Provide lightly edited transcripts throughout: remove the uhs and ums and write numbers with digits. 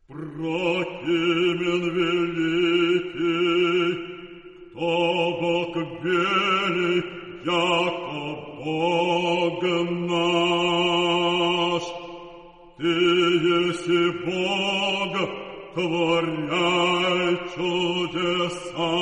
Прокимен великий, кто Бог велик, яко Бог наш. Ты еси Бог, творяй чудеса.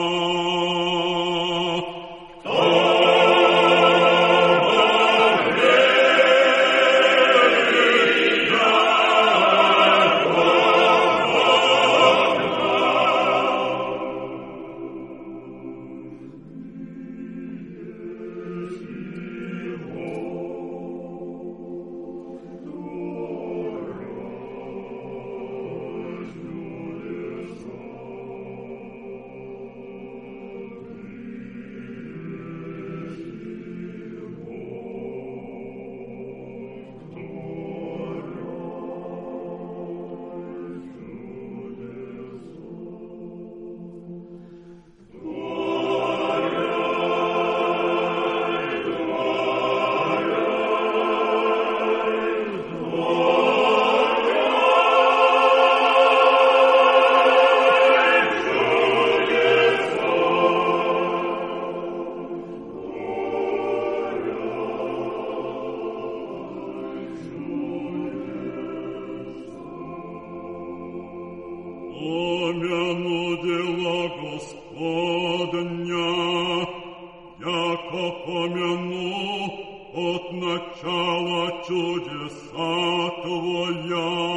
Помяну дела Господня, яко помяну от начала чудеса Твоя.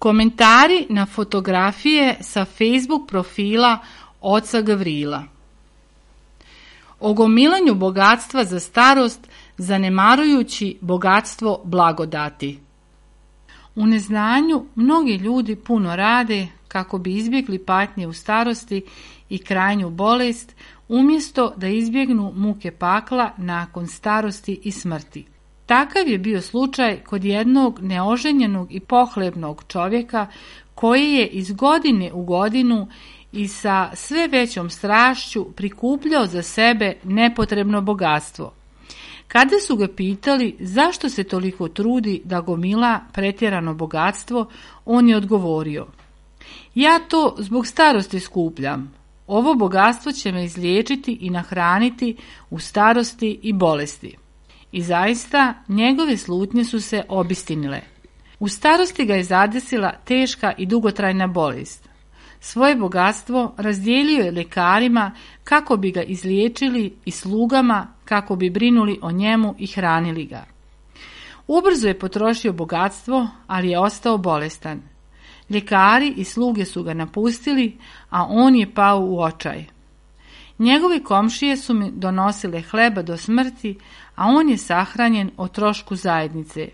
Komentari na fotografije sa Facebook profila oca Gavrila. O gomilanju bogatstva za starost, zanemarujući bogatstvo blagodati. U neznanju mnogi ljudi puno rade kako bi izbjegli patnje u starosti i krajnju bolest, umjesto da izbjegnu muke pakla nakon starosti i smrti. Takav je bio slučaj kod jednog neoženjenog i pohlebnog čovjeka koji je iz godine u godinu i sa sve većom strašću prikupljao za sebe nepotrebno bogatstvo. Kada su ga pitali zašto se toliko trudi da gomila pretjerano bogatstvo, on je odgovorio: ja to zbog starosti skupljam. Ovo bogatstvo će me izliječiti i nahraniti u starosti i bolesti. I zaista, njegove slutnje su se obistinile. U starosti ga je zadesila teška i dugotrajna bolest. Svoje bogatstvo razdijelio je ljekarima kako bi ga izliječili i slugama kako bi brinuli o njemu i hranili ga. Ubrzo je potrošio bogatstvo, ali je ostao bolestan. Ljekari i sluge su ga napustili, a on je pao u očaj. Njegove komšije su mi donosile hleba do smrti, a on je sahranjen o trošku zajednice.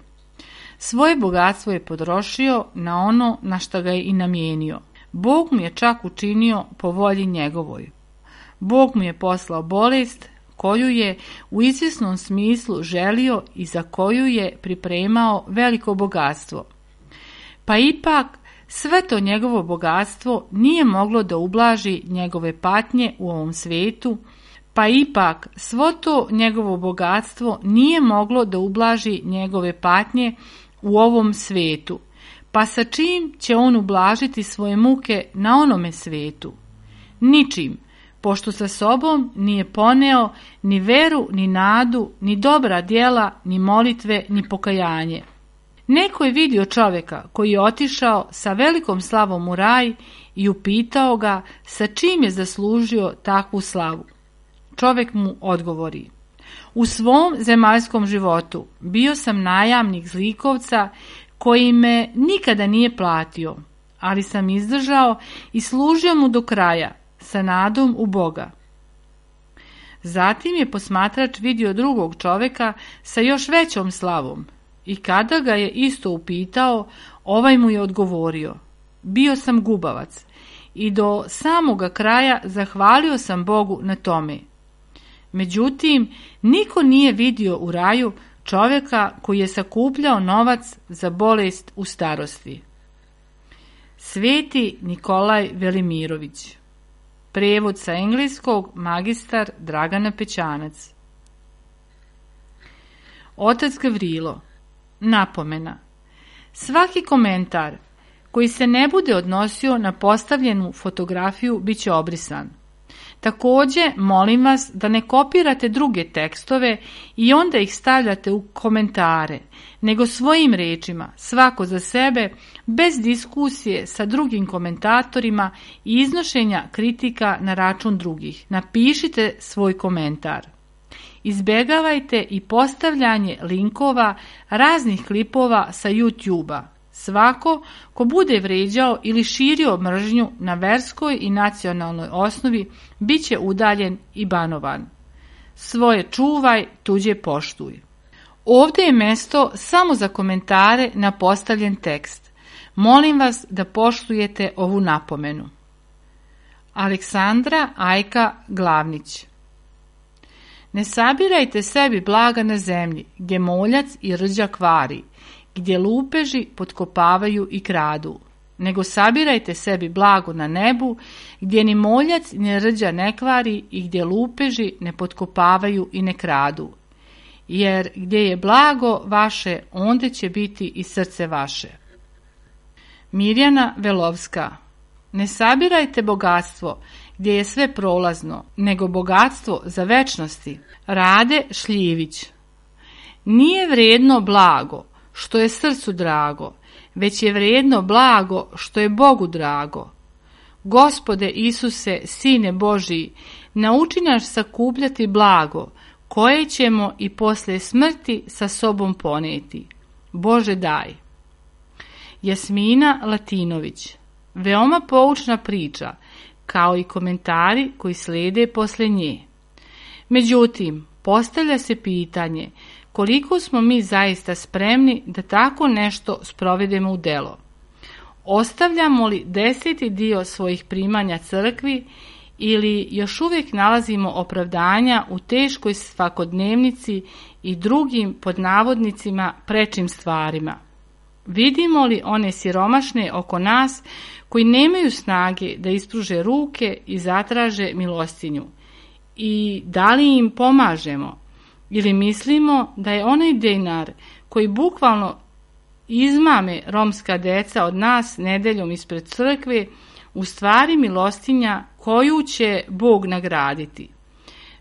Svoje bogatstvo je potrošio na ono na što ga je i namijenio. Bog mu je čak učinio po volji njegovoj. Bog mu je poslao bolest koju je u izvjesnom smislu želio i za koju je pripremao veliko bogatstvo. Pa ipak sve to njegovo bogatstvo nije moglo da ublaži njegove patnje u ovom svijetu, pa ipak svo to njegovo bogatstvo nije moglo da ublaži njegove patnje u ovom svijetu. Pa sa čim će on ublažiti svoje muke na onome svijetu? Ničim, pošto sa sobom nije poneo ni veru, ni nadu, ni dobra djela, ni molitve, ni pokajanje. Neko je vidio čovjeka koji je otišao sa velikom slavom u raj i upitao ga sa čim je zaslužio takvu slavu. Čovjek mu odgovori: u svom zemaljskom životu bio sam najamnik zlikovca koji me nikada nije platio, ali sam izdržao i služio mu do kraja sa nadom u Boga. Zatim je posmatrač vidio drugog čovjeka sa još većom slavom i kada ga je isto upitao, ovaj mu je odgovorio: bio sam gubavac i do samoga kraja zahvalio sam Bogu na tome. Međutim, niko nije vidio u raju čovjeka koji je sakupljao novac za bolest u starosti. Sveti Nikolaj Velimirović. Prijevod sa engleskog magistar Dragana Pećanac. Otac Gavrilo. Napomena. Svaki komentar koji se ne bude odnosio na postavljenu fotografiju bit će obrisan. Također, molim vas da ne kopirate druge tekstove i onda ih stavljate u komentare, nego svojim riječima, svako za sebe, bez diskusije sa drugim komentatorima i iznošenja kritika na račun drugih. Napišite svoj komentar. Izbjegavajte i postavljanje linkova raznih klipova sa YouTube-a. Svako ko bude vrijeđao ili širio mržnju na verskoj i nacionalnoj osnovi bit će udaljen i banovan. Svoje čuvaj, tuđe poštuj. Ovdje je mjesto samo za komentare na postavljen tekst. Molim vas da poštujete ovu napomenu. Aleksandra Ajka Glavnić. Ne sabirajte sebi blaga na zemlji, gdje moljac i rđa kvari, gdje lupeži potkopavaju i kradu, nego sabirajte sebi blago na nebu, gdje ni moljac ni rđa ne kvari i gdje lupeži ne potkopavaju i ne kradu. Jer gdje je blago vaše, onda će biti i srce vaše. Mirjana Velovska. Ne sabirajte bogatstvo gdje je sve prolazno, nego bogatstvo za večnosti. Rade Šljivić. Nije vrijedno blago što je srcu drago, već je vrijedno blago što je Bogu drago. Gospode Isuse, Sine Božiji, nauči nas sakupljati blago, koje ćemo i poslije smrti sa sobom poneti. Bože daj. Jasmina Latinović. Veoma poučna priča, kao i komentari koji slijede poslije nje. Međutim, postavlja se pitanje koliko smo mi zaista spremni da tako nešto sprovedemo u delo. Ostavljamo li 10. dio svojih primanja crkvi ili još uvijek nalazimo opravdanja u teškoj svakodnevnici i drugim pod navodnicima prečim stvarima? Vidimo li one siromašne oko nas koji nemaju snage da ispruže ruke i zatraže milostinju? I da li im pomažemo? Ili mislimo da je onaj dinar koji bukvalno izmame romska deca od nas nedeljom ispred crkve u stvari milostinja koju će Bog nagraditi?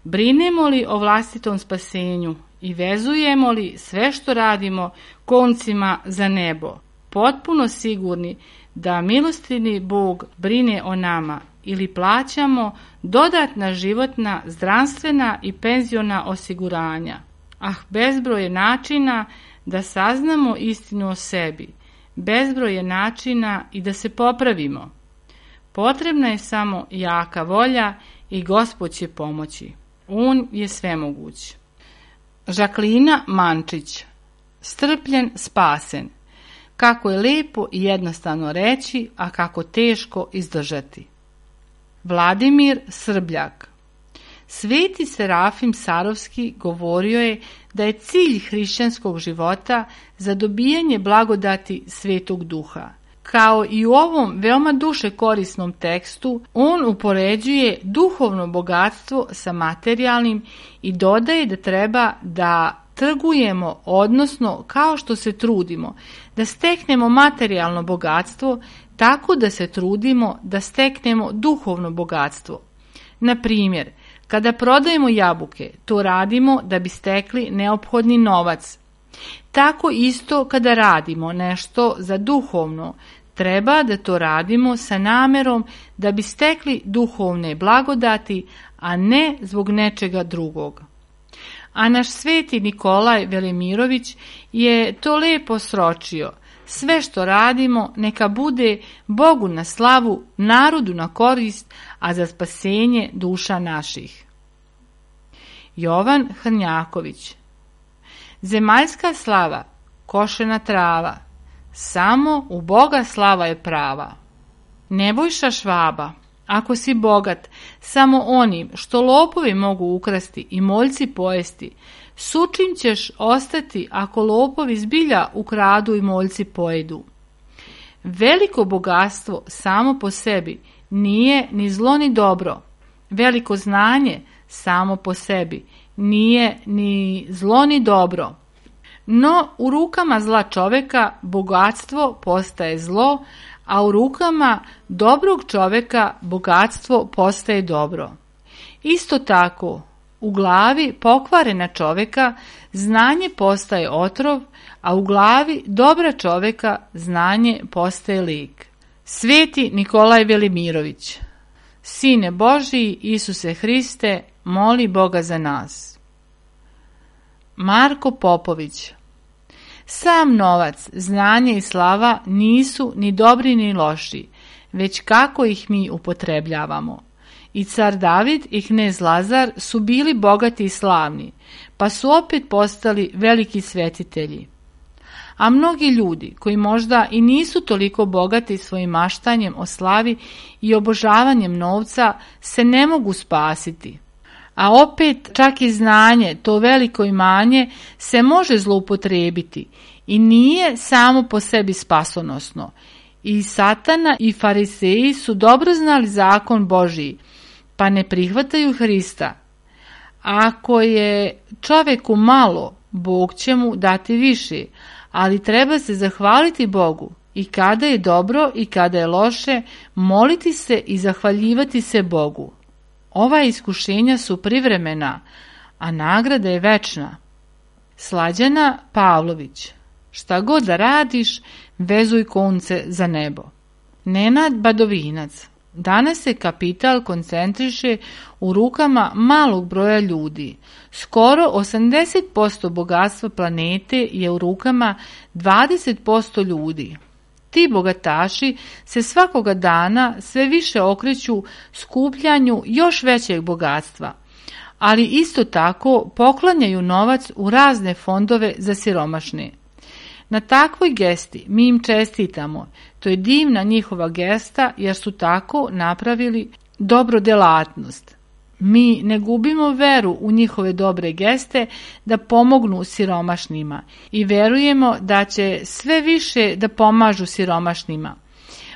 Brinemo li o vlastitom spasenju i vezujemo li sve što radimo koncima za nebo, potpuno sigurni da milostivni Bog brine o nama, ili plaćamo dodatna životna, zdravstvena i penziona osiguranja? Bezbroj je načina da saznamo istinu o sebi, bezbroj je načina i da se popravimo. Potrebna je samo jaka volja i Gospod će pomoći. On je svemoguć. Žaklina Mančić. Strpljen, spasen. Kako je lepo i jednostavno reći, a kako teško izdržati. Vladimir Srbljak. Sveti Serafim Sarovski govorio je da je cilj hrišćanskog života zadobijanje blagodati Svetog Duha. Kao i u ovom veoma duše korisnom tekstu, on upoređuje duhovno bogatstvo sa materijalnim i dodaje da treba da trgujemo, odnosno kao što se trudimo da steknemo materijalno bogatstvo, tako da se trudimo da steknemo duhovno bogatstvo. Na primjer, kada prodajemo jabuke, to radimo da bi stekli neophodni novac. Tako isto kada radimo nešto za duhovno, treba da to radimo sa namerom da bi stekli duhovne blagodati, a ne zbog nečega drugog. A naš sveti Nikolaj Velimirović je to lepo sročio. Sve što radimo neka bude Bogu na slavu, narodu na korist, a za spasenje duša naših. Jovan Hrnjaković. Zemaljska slava, košena trava, samo u Boga slava je prava. Nebojša Švaba. Ako si bogat samo onim što lopovi mogu ukrasti i moljci pojesti, sučim ćeš ostati ako lopovi zbilja ukradu i moljci pojedu. Veliko bogatstvo samo po sebi nije ni zlo ni dobro. Veliko znanje samo po sebi nije ni zlo ni dobro. No u rukama zla čoveka bogatstvo postaje zlo, a u rukama dobrog čoveka bogatstvo postaje dobro. Isto tako, u glavi pokvarena čoveka znanje postaje otrov, a u glavi dobra čoveka znanje postaje lik. Sveti Nikolaj Velimirović. Sine Božiji, Isuse Hriste, moli Boga za nas. Marko Popović. Sam novac, znanje i slava nisu ni dobri ni loši, već kako ih mi upotrebljavamo. I car David i knez Lazar su bili bogati i slavni, pa su opet postali veliki svetitelji. A mnogi ljudi koji možda i nisu toliko bogati svojim maštanjem o slavi i obožavanjem novca se ne mogu spasiti. A opet čak i znanje, to veliko imanje, se može zloupotrijebiti i nije samo po sebi spasonosno. I Satana i fariseji su dobro znali zakon Božiji, pa ne prihvataju Hrista. Ako je čoveku malo, Bog će mu dati više, ali treba se zahvaliti Bogu i kada je dobro i kada je loše, moliti se i zahvaljivati se Bogu. Ova iskušenja su privremena, a nagrada je večna. Slađana Pavlović. Šta god da radiš, vezuj konce za nebo. Nenad Badovinac. Danas se kapital koncentriše u rukama malog broja ljudi. Skoro 80% bogatstva planete je u rukama 20% ljudi. Ti bogataši se svakoga dana sve više okreću skupljanju još većeg bogatstva, ali isto tako poklanjaju novac u razne fondove za siromašne. Na takvoj gesti mi im čestitamo, to je divna njihova gesta jer su tako napravili dobrodelatnost. Mi ne gubimo veru u njihove dobre geste da pomognu siromašnima i verujemo da će sve više da pomažu siromašnima.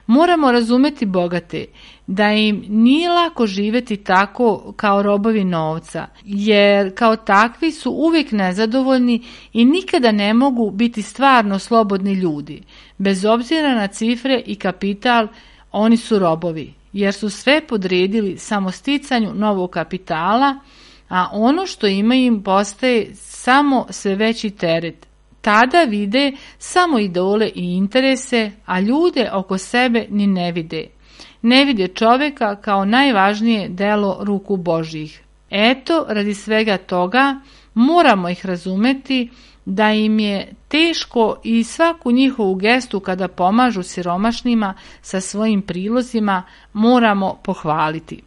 Moramo razumeti bogate, da im nije lako živjeti tako kao robovi novca, jer kao takvi su uvijek nezadovoljni i nikada ne mogu biti stvarno slobodni ljudi. Bez obzira na cifre i kapital, oni su robovi, jer su sve podredili samo sticanju novog kapitala, a ono što ima im postaje samo sve veći teret. Tada vide samo idole i interese, a ljude oko sebe ni ne vide. Ne vide čovjeka kao najvažnije delo ruku Božjih. Eto, radi svega toga moramo ih razumeti da im je teško i svaku njihovu gestu kada pomažu siromašnima sa svojim prilozima moramo pohvaliti.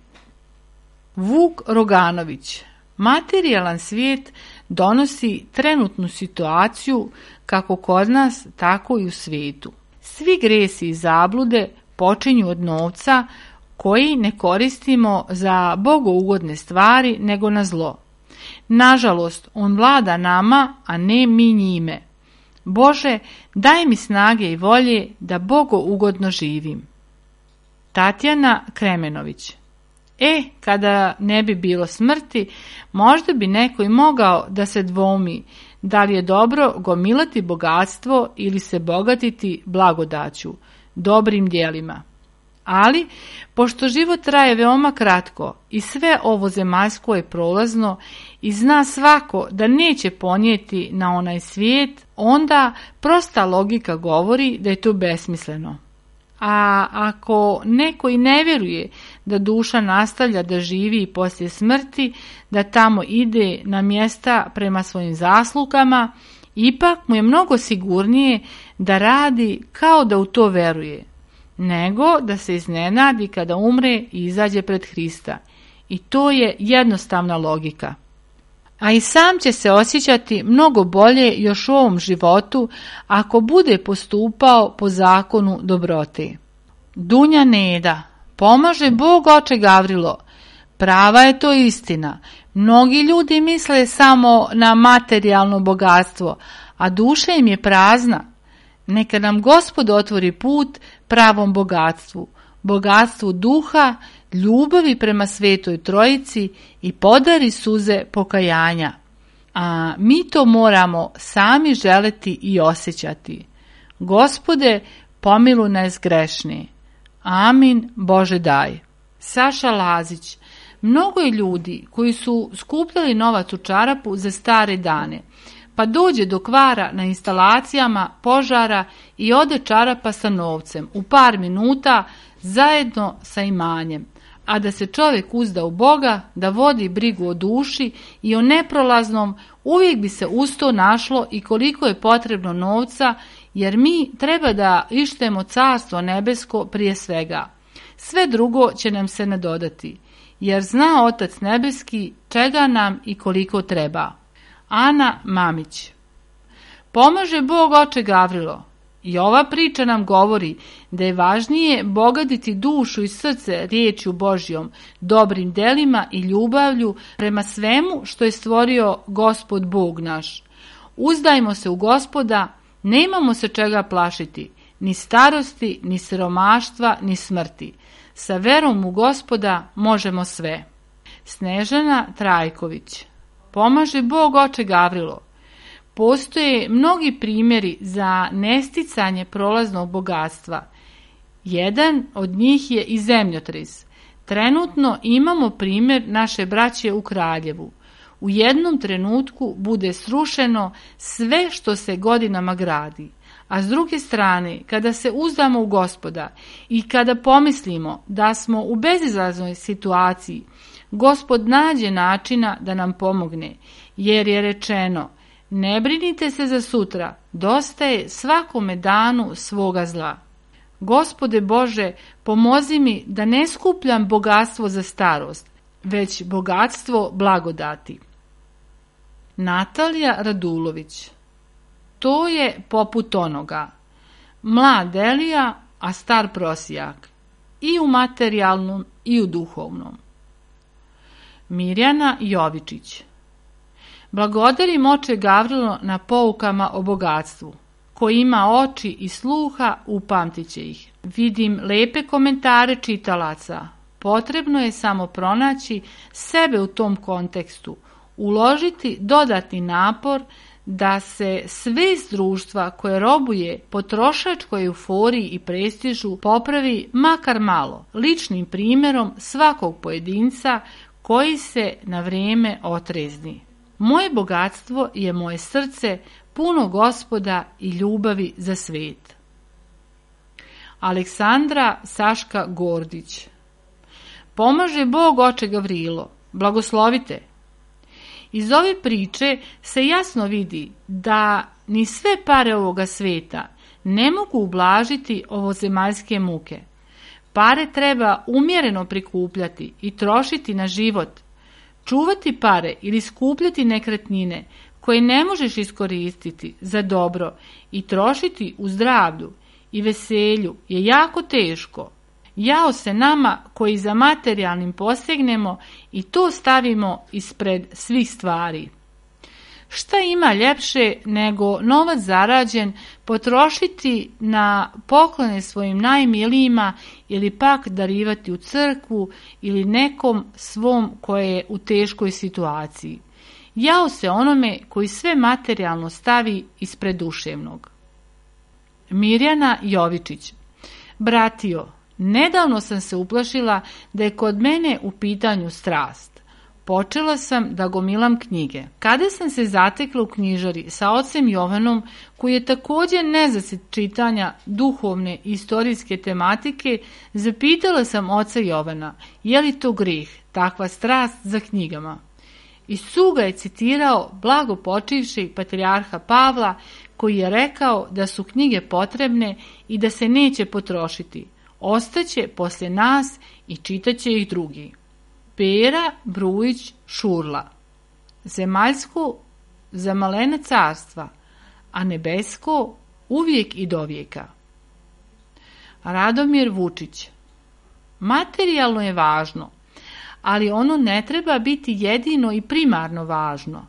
Vuk Roganović. Materijalan svijet donosi trenutnu situaciju kako kod nas, tako i u svijetu. Svi gresi i zablude počinju od novca koji ne koristimo za bogougodne stvari nego na zlo. Nažalost, on vlada nama, a ne mi njime. Bože, daj mi snage i volje da bogougodno živim. Tatjana Kremenović. Kada ne bi bilo smrti, možda bi neko i mogao da se dvoumi da li je dobro gomilati bogatstvo ili se bogatiti blagodaću, dobrim djelima. Ali, pošto život traje veoma kratko i sve ovo zemaljsko je prolazno i zna svako da neće ponijeti na onaj svijet, onda prosta logika govori da je to besmisleno. A ako neko i ne vjeruje da duša nastavlja da živi i poslije smrti, da tamo ide na mjesta prema svojim zaslugama, ipak mu je mnogo sigurnije da radi kao da u to veruje, nego da se iznenadi kada umre i izađe pred Hrista. I to je jednostavna logika. A i sam će se osjećati mnogo bolje još u ovom životu ako bude postupao po zakonu dobrote. Dunja Neda. Pomaže Bog, oče Gavrilo. Prava je to istina. Mnogi ljudi misle samo na materijalno bogatstvo, a duša im je prazna. Neka nam Gospod otvori put pravom bogatstvu, bogatstvu duha, ljubavi prema Svetoj Trojici i podari suze pokajanja. A mi to moramo sami želeti i osjećati. Gospode, pomiluj nas grešne. Amin, Bože daj. Saša Lazić. Mnogo je ljudi koji su skupljali novac u čarapu za stare dane, pa dođe do kvara na instalacijama, požara i ode čarapa sa novcem u par minuta zajedno sa imanjem. A da se čovjek uzda u Boga, da vodi brigu o duši i o neprolaznom, uvijek bi se uz to našlo i koliko je potrebno novca, jer mi treba da ištemo carstvo nebesko prije svega. Sve drugo će nam se nadodati, jer zna Otac nebeski čega nam i koliko treba. Ana Mamić. Pomaže Bog, oče Gavrilo. I ova priča nam govori da je važnije bogatiti dušu i srce riječju Božjom, dobrim delima i ljubavlju prema svemu što je stvorio Gospod Bog naš. Uzdajmo se u Gospoda, nemamo se čega plašiti, ni starosti, ni siromaštva, ni smrti. Sa verom u Gospoda možemo sve. Snežana Trajković. Pomaže Bog, oče Gavrilo. Postoje mnogi primjeri za nesticanje prolaznog bogatstva. Jedan od njih je i zemljotres. Trenutno imamo primjer naše braće u Kraljevu. U jednom trenutku bude srušeno sve što se godinama gradi. A s druge strane, kada se uzdamo u Gospoda i kada pomislimo da smo u bezizlaznoj situaciji, Gospod nađe načina da nam pomogne, jer je rečeno: ne brinite se za sutra, dosta je svakome danu svoga zla. Gospode Bože, pomozi mi da ne skupljam bogatstvo za starost, već bogatstvo blagodati. Natalija Radulović. To je poput onoga: mlad Elija, a star prosijak. i u materijalnom i u duhovnom. Mirjana Jovičić. Blagodarim oče Gavrilo na poukama o bogatstvu. Ko ima oči i sluha, upamtit će ih. Vidim lepe komentare čitalaca. Potrebno je samo pronaći sebe u tom kontekstu, uložiti dodatni napor da se svest društva koje robuje potrošačkoj euforiji i prestižu popravi makar malo, ličnim primjerom svakog pojedinca koji se na vrijeme otrezni. Moje bogatstvo je moje srce puno Gospoda i ljubavi za svijet. Aleksandra Saška Gordić. Pomaže Bog oče Gavrilo, blagoslovite. Iz ove priče se jasno vidi da ni sve pare ovoga sveta ne mogu ublažiti ovozemaljske muke. Pare treba umjereno prikupljati i trošiti na život. Čuvati pare ili skupljati nekretnine koje ne možeš iskoristiti za dobro i trošiti u zdravlju i veselju je jako teško. Jao se nama koji za materijalnim posegnemo i to stavimo ispred svih stvari. Šta ima ljepše nego novac zarađen potrošiti na poklone svojim najmilijima ili pak darivati u crkvu ili nekom svom koje je u teškoj situaciji. Jao se onome koji sve materijalno stavi ispred duševnog. Mirjana Jovičić. Bratio, nedavno sam se uplašila da je kod mene u pitanju strast. Počela sam da gomilam knjige. Kada sam se zatekla u knjižari sa ocem Jovanom, koji je također nezasit čitanja duhovne i istorijske tematike, zapitala sam oca Jovana, je li to greh, takva strast za knjigama. Iz suga je citirao blagopočivšeg patrijarha Pavla, koji je rekao da su knjige potrebne i da se neće potrošiti. Ostaće poslije nas i čitaće ih drugi. Pera Brujić Šurla. Zemaljsko za malena carstva, a nebesko uvijek i dovijeka. Radomir Vučić. Materijalno je važno, ali ono ne treba biti jedino i primarno važno.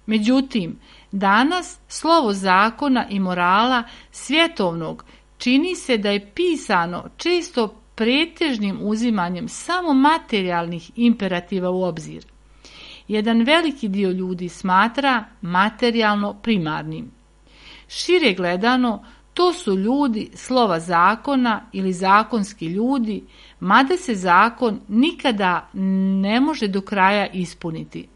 Međutim, danas slovo zakona i morala svjetovnog čini se da je pisano često pretežnim uzimanjem samo materijalnih imperativa u obzir. Jedan veliki dio ljudi smatra materijalno primarnim. Šire gledano, to su ljudi slova zakona ili zakonski ljudi, mada se zakon nikada ne može do kraja ispuniti.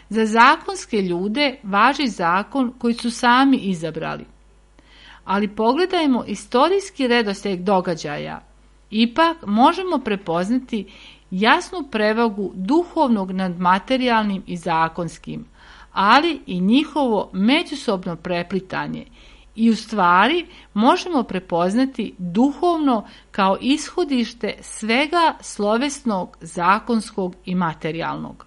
Za zakonske ljude važi zakon koji su sami izabrali. Ali pogledajmo istorijski redoslijed događaja. Ipak možemo prepoznati jasnu prevagu duhovnog nad materijalnim i zakonskim, ali i njihovo međusobno preplitanje. I u stvari možemo prepoznati duhovno kao ishodište svega slovesnog, zakonskog i materijalnog.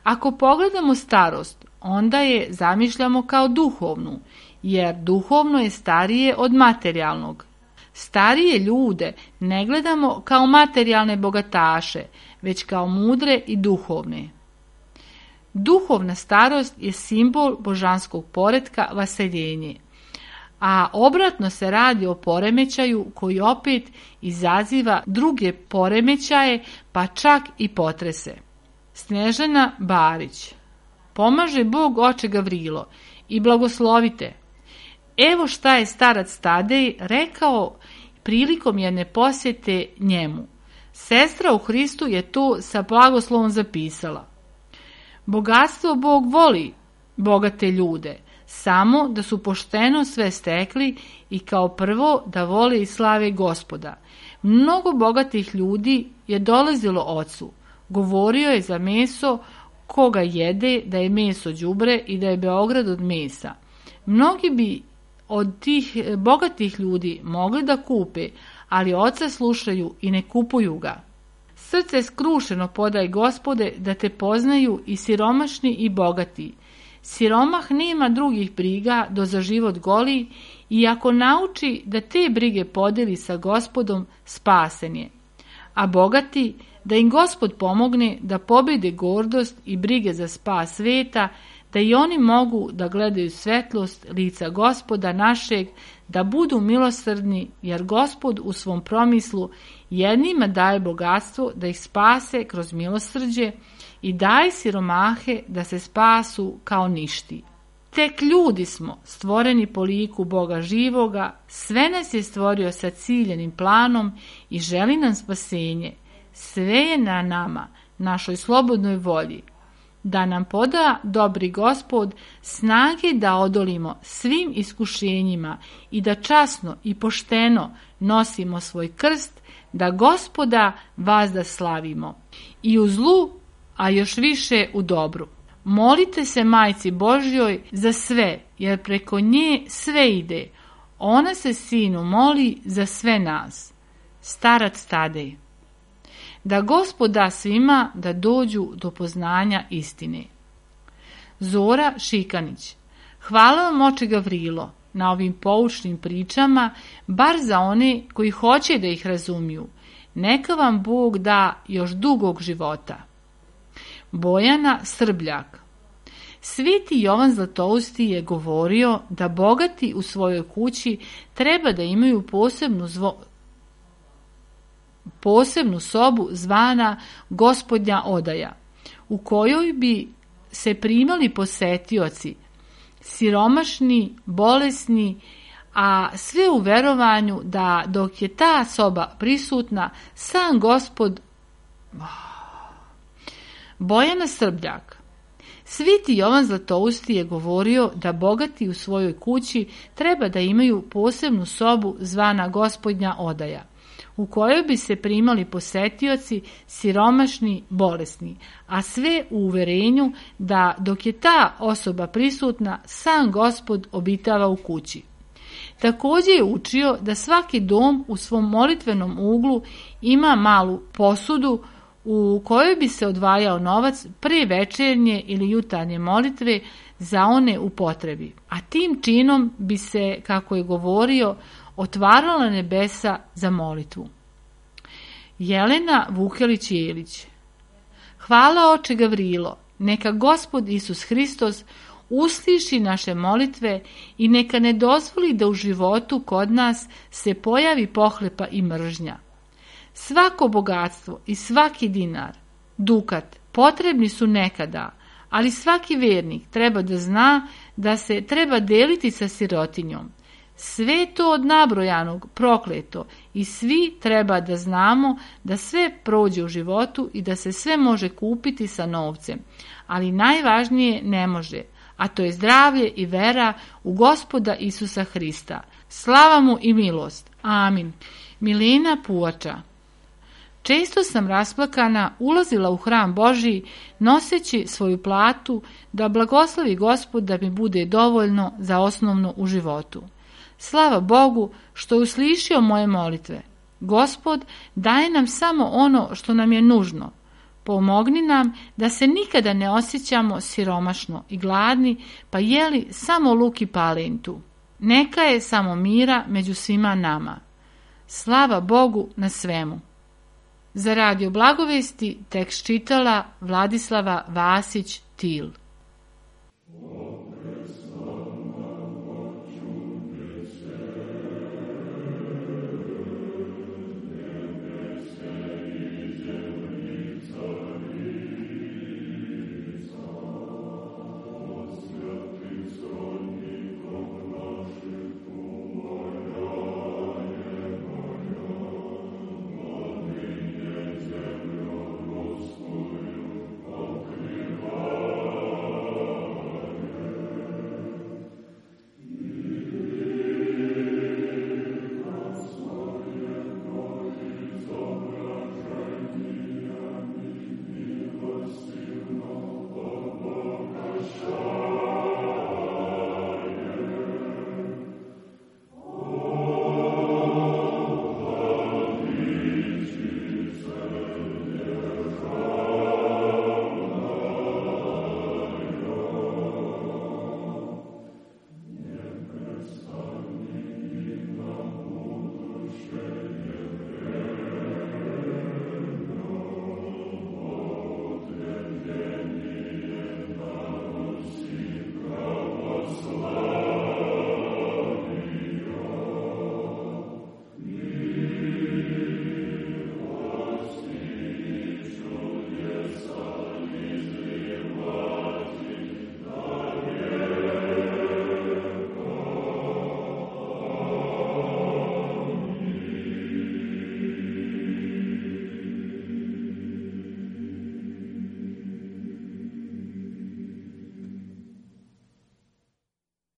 Ako pogledamo starost, onda je zamišljamo kao duhovnu, jer duhovno je starije od materijalnog. Starije ljude ne gledamo kao materijalne bogataše, već kao mudre i duhovne. Duhovna starost je simbol božanskog poretka vaseljenje, a obratno se radi o poremećaju koji opet izaziva druge poremećaje, pa čak i potrese. Snježana Barić. Pomaže Bog oče Gavrilo i blagoslovite. Evo šta je starac Tadej rekao prilikom jedne posjete njemu. Sestra u Hristu je to sa blagoslovom zapisala. Bogatstvo Bog voli bogate ljude, samo da su pošteno sve stekli i kao prvo da vole i slave Gospoda. Mnogo bogatih ljudi je dolazilo ocu. Govorio je za meso koga jede da je meso đubre i da je Beograd od mesa. Mnogi bi od tih bogatih ljudi mogli da kupe, ali oca slušaju i ne kupuju ga. Srce skrušeno podaj Gospode da te poznaju i siromašni i bogati. siromah nema drugih briga do za život goli i ako nauči da te brige podeli sa Gospodom, spasen je. A bogati, da im Gospod pomogne da pobjede gordost i brige za spas sveta, da i oni mogu da gledaju svetlost lica Gospoda našeg, da budu milosrdni, jer Gospod u svom promislu jednima daje bogatstvo da ih spase kroz milosrđe i daje siromahe da se spasu kao ništi. Tek ljudi smo, stvoreni po liku Boga živoga, sve nas je stvorio sa ciljenim planom i želi nam spasenje. Sve je na nama, našoj slobodnoj volji, da nam poda dobri Gospod snage da odolimo svim iskušenjima i da časno i pošteno nosimo svoj krst, da Gospoda vazda slavimo i u zlu, a još više u dobru. Molite se Majci Božjoj za sve, jer preko nje sve ide. Ona se Sinu moli za sve nas. Starac Tadej. Da Gospod da svima da dođu do poznanja istine. Zora Šikanić. Hvala vam, oče Gavrilo, na ovim poučnim pričama, bar za one koji hoće da ih razumiju. Neka vam Bog da još dugog života. Bojana Srbljak. Sveti Jovan Zlatousti je govorio da bogati u svojoj kući treba da imaju posebnu sobu zvana Gospodnja odaja, u kojoj bi se primali posetioci, siromašni, bolesni, a sve u verovanju da dok je ta soba prisutna, sam Gospod... Bojana Srbljak. Sveti Jovan Zlatousti je govorio da bogati u svojoj kući treba da imaju posebnu sobu zvana Gospodnja odaja, u kojoj bi se primali posetioci, siromašni, bolesni, a sve u uverenju da dok je ta osoba prisutna, sam Gospod obitava u kući. Također je učio da svaki dom u svom molitvenom uglu ima malu posudu u kojoj bi se odvajao novac pre večernje ili jutarnje molitve za one u potrebi, a tim činom bi se, kako je govorio, otvarala nebesa za molitvu. Jelena Vukelić-Jelić. Hvala, oče Gavrilo, neka Gospod Isus Hristos usliši naše molitve i neka ne dozvoli da u životu kod nas se pojavi pohlepa i mržnja. Svako bogatstvo i svaki dinar, dukat, potrebni su nekada, ali svaki vjernik treba da zna da se treba deliti sa sirotinjom. Sve to od nabrojanog prokleto i svi treba da znamo da sve prođe u životu i da se sve može kupiti sa novcem, ali najvažnije ne može, a to je zdravlje i vera u Gospoda Isusa Hrista. Slava mu i milost. Amin. Milena Puvača. Često sam rasplakana ulazila u hram Božji noseći svoju platu da blagoslovi Gospod da mi bude dovoljno za osnovno u životu. Slava Bogu što je uslišio moje molitve. Gospod daje nam samo ono što nam je nužno. Pomogni nam da se nikada ne osjećamo siromašno i gladni, pa jeli samo luk i palentu. Neka je samo mira među svima nama. Slava Bogu na svemu. Za Radio Blagovesti tekst čitala Vladislava Vasić-Til.